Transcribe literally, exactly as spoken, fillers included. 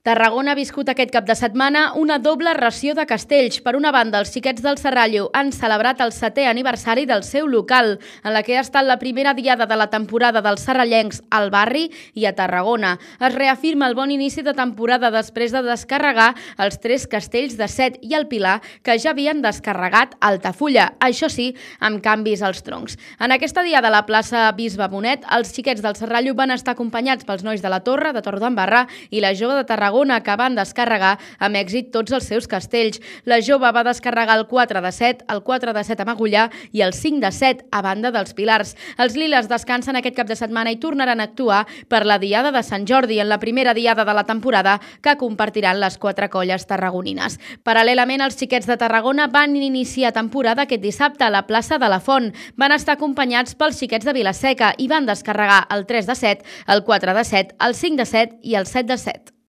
Tarragona ha viscut aquest cap de setmana una doble ració de castells. Per una banda, els xiquets del Serrallo han celebrat el setè aniversari del seu local, en la que ha estat la primera diada de la temporada dels serrallencs al barri i a Tarragona. Es reafirma el bon inici de temporada després de descarregar els tres castells de Set i el Pilar, que ja havien descarregat a Altafulla, això sí, amb canvis als troncs. En aquesta diada a la plaça Bisbe Bonet, els xiquets del Serrallo van estar acompanyats pels nois de la Torre, de Torredembarra, i la jove de Tarragona, que van descarregar amb èxit tots els seus castells. La jove va descarregar el quatre de Set, el quatre de Set a Magullà i el cinc de Set a banda dels Pilars. Els liles descansen aquest cap de setmana i tornaran a actuar per la Diada de Sant Jordi, en la primera diada de la temporada que compartiran les quatre colles tarragonines. Paral·lelament, els xiquets de Tarragona van iniciar temporada aquest dissabte a la plaça de la Font. Van estar acompanyats pels xiquets de Vilaseca i van descarregar el tres de Set, el quatre de Set, el cinc de Set i el set de Set.